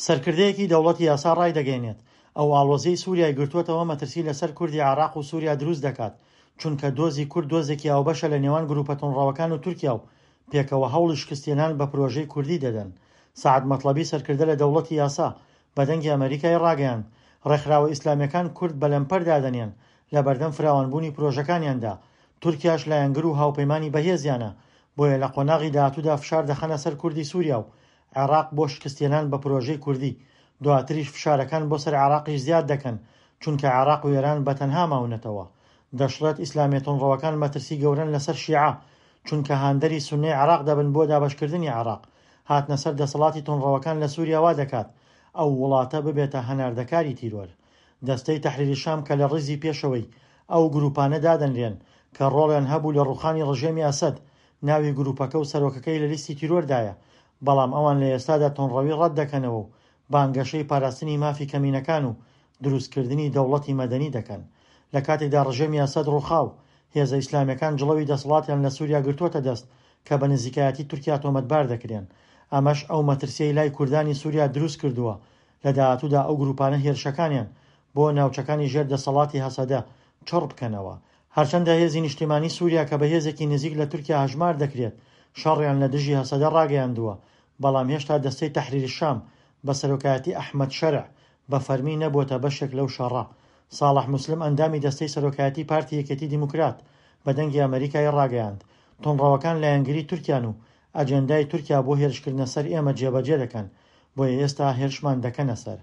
سەرکردەیەکی دەوڵەتی یاسا ڕایدەگەیەنێت، ئەو ئاڵۆزیەی سوریای گرتووەتەوە مەترسی لەسەر کوردی عێراق و سوریا دروست دەکات، چونکە دۆزی کورد دۆزێکی هاوبەشە لە نێوان گروپە توندڕەوەکان و تورکیا و پێکەوە هەوڵی شکستهێنان بە پرۆژەی کوردی دەدەن. سەعد مەتڵەبی سەرکردە لە دەوڵەتی یاسا بە دەنگی ئەمەریکای ڕاگەیاند، ڕێکخراوە ئیسلامیەکان کورد بە لەمپەر دادەنێن لەبەردەم فراوانبوونی پرۆژەکانیاندا، تورکیاش لایەنگر و هاوپەیمانی بەهێزیانە، بۆیە لە قۆناغی داهاتوودا فشار دەخەنە سەر کوردی سوریا و عێراق بۆ شکستهێنان بە پرۆژەی کوردی، دواتریش فشارەکان بۆ سەر عێراقیش زیاد دەکەن، چونکە عێراق و ئێران بە تەنها ماونەتەوە. دەشڵێت ئیسلامیە توندڕەوەکان مەترسی گەورەن لەسەر شیعە، چونکە هاندەری سوننەی عێراق دەبن بۆ دابەشکردنی عێراق، هاتنە سەر دەسەڵاتی توندڕەوەکان لە سوریا وا دەکات ئەو وڵاتە ببێتە هەناردەکاری تیرۆر. دەستەی تەحریر شام کە لە ڕیزی پێشەوەی ئەو گروپانە دادەنرێن کە ڕۆڵیان هەبوو لە ڕوخانی ڕژێمی ئەسەد، ناوی گروپەکە و سەرۆکەکەی لە لیستی تیرۆردایە، بەڵام ئەوان لە ئێستادا توندڕەوی ڕەت دەکەنەوە و بانگەشەی پاراستنی مافی کەمینەکان و دروستکردنی دەوڵەتی مەدەنی دەکەن. لە کاتێکدا ڕژێمی ئەسەد ڕوخا و هێزە ئیسلامیەکان جڵەوی دەسەڵاتیان لە سوریا گرتووەتە دەست کە بە نزیکایەتی تورکیا تۆمەتبار دەکرێن. ئەمەش ئەو مەترسیەی لای کوردانی سوریا دروستکردووە لە داهاتوودا ئەو گروپانە هێرشەکانیان بۆ ناوچەکانی ژێر دەسەڵاتی هەسەدە چڕ بکەنەوە. هەرچەندە هێزی نیشتیمانی سوریا کە بە هێزێکی نزیک لە تورکیا هەژمار دەکرێت، شەڕیان لە دژی هەسەدە ڕاگەیاندووە، بەڵام هێشتا دەستەی تەحریر شام بە سەرۆکایەتی ئەحمەد شەرع بە فەرمی نەبووەتە بەشێک لەو شەڕە. ساڵح موسلم ئەندامی دەستەی سەرۆکایەتی پارتی یەکێتی دیموکرات بە دەنگی ئەمەریکای ڕاگەیاند، توندڕەوەکان لایەنگری تورکیان و ئەجێندای تورکیا بۆ هێرشکردنە سەر ئێمە جێبەجێ دەکەن، بۆیە ئێستا هێرشمان دەکەنە سەر.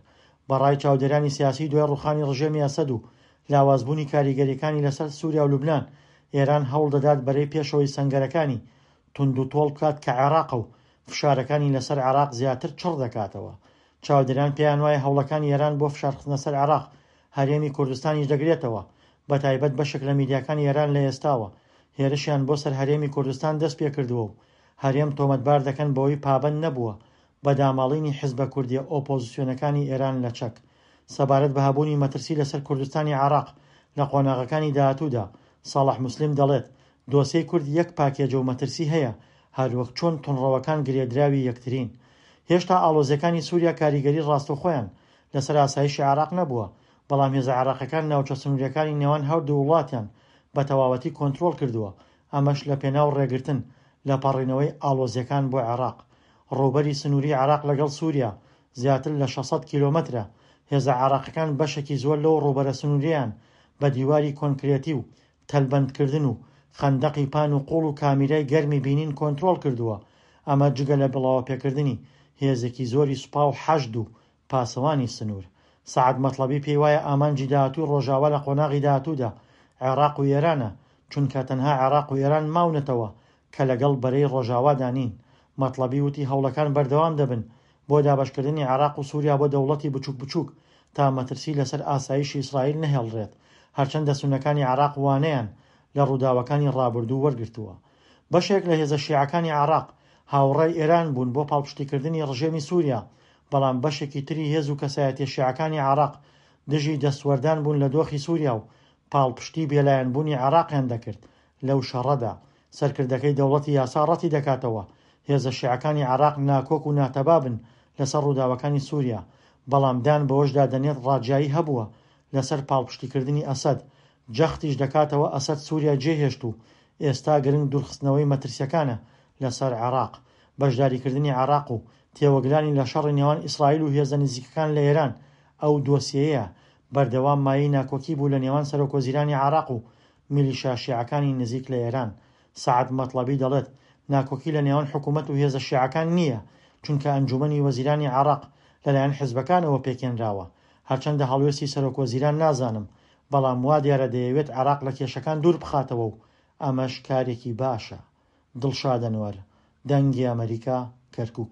بە ڕای چاودێرانی سیاسی دوای ڕووخانی ڕژێمی ئەسەد و لاوازبوونی کاریگەرییەکانی لەسەر سوریا و لوبنان، ئێران هەوڵ دەدات بەرەی پێشەوەی سەنگەرەکانی توندوتۆڵ بکات کە عێراقە و فشارەکانی لەسەر عێراق زیاتر چڕ دەکاتەوە. چاودێران پێیانوایە هەوڵەکانی ئێران بۆ فشارخستنە سەر عێراق هەرێمی کوردستانیش دەگرێتەوە، بەتایبەت بەشێک لە میدیاکانی ئێران لە ئێستاوە هێرشیان بۆ سەر هەرێمی کوردستان دەستپێکردووە و هەرێم تۆمەتبار دەکەن بەوەی پابەند نەبووە بە داماڵینی حزبە کوردیە ئۆپۆزسیۆنەکانی ئێران لە چەک. سەبارەت بە هەبوونی مەترسی لەسەر کوردستانی عێراق لە قۆناغەکانی داهاتوودا، ساڵح موسلیم دەڵێت، دۆسێی کورد یەک پاکێجە و مەترسی هەیە، هەروەک چۆن توندڕەوەکان گرێدراوی یەکترین. هێشتا ئاڵۆزیەکانی سوریا کاریگەری ڕاستەوخۆیان لەسەر ئاسایشی عێراق نەبووە، بەڵام هێزە عێراقیەکان ناوچە سنوریەکانی نێوان هەردوو وڵاتیان بە تەواوەتی کۆنترۆڵ کردووە، ئەمەش لە پێناو ڕێگرتن لە پەڕینەوەی ئاڵۆزیەکان بۆ عێراق. ڕووبەری سنووری عێراق لەگەڵ سووریا زیاتر لە 600 کیلۆمەترە، هێزە عێراقیەکان بەشێکی زۆر لەو ڕووبەرە سنووریەیان بە دیواری کۆنکرێتی و تەلبەندکردن و خەندەقی پان و قوڵ و کامیرای گەرمی بینین کۆنترۆڵ کردووە، ئەمە جگە لە بڵاوەپێکردنی هێزێکی زۆری سوپا و حەشد و پاسەوانی سنوور. سەعد مەتڵەبی پێیوایە ئامانجی داهاتووی ڕۆژاوا لە قۆناغی داهاتوودا عێراق و ئێرانە، چونکە تەنها عێراق و ئێران ماونەتەوە کە لەگەڵ بەرەی ڕۆژاوادا نین. مەتڵەبی وتی هەوڵەکان بەردەوام دەبن بۆ دابەشکردنی عێراق و سوریا بۆ دەوڵەتی بچوک بچوک تا مەترسی لەسەر ئاسایشی ئیسرائیل نەهێڵرێت، هەرچەندە سوننەکانی عێراق وانەیان لە ڕووداوەکانی ڕابردوو وەرگرتووە. بەشێک لە هێزە شیعەکانی عێراق هاوڕای ئێران بوون بۆ پاڵپشتیکردنی ڕژێمی سوریا، بەڵام بەشێکی تری هێز و کەسایەتیە شیعەکانی عێراق دژی دەستوەردان بوون لە دۆخی سوریا و پاڵپشتی بێلایەنبوونی عێراقیان دەکرد لەو شەڕەدا. سەرکردەکەی دەوڵەتی یاسا ڕەتی دەکاتەوە هێزە شیعەکانی عێراق ناکۆک و ناتەبا بن لەسەر ڕووداوەکانی سوریا، بەڵام دان بەوەشدا دەنێت ڕاجیایی هەبووە لەسەر پاڵپشتیکردنی ئەسەد، جەختیش دەکاتەوە ئەسەد سوریای جێهێشت و ئێستا گرنگ دوورخستنەوەی مەترسیەکانە لەسەر عێراق. بەشداریکردنی عێراق و تێوەگلانی لە شەڕی نێوان ئیسرائیل و هێزە نزیکەکان لە ئێران ئەو دۆسیەیە بەردەوام مایەی ناکۆکی بوو لە نێوان سەرۆکوەزیرانی عێراق و میلیشیا شیعەکانی نزیک لە ئێران. سەعد مەتڵەبی دەڵێت، ناکۆکی لە نێوان حکومەت و هێزە شیعەکان نییە، چونکە ئەنجوومەنی وەزیرانی عێراق لەلایەن حزبەکانەوە پێکهێنراوە. هەرچەندە هەڵوێستی سەرۆکوەزیران نازانم، بەڵام وا دیارە دەیەوێت عێراق لە کێشەکان دوور بخاتەوە و ئەمەش کارێکی باشە. دڵشاد ئەنوەر، دەنگی ئەمەریکا، کەرکوک.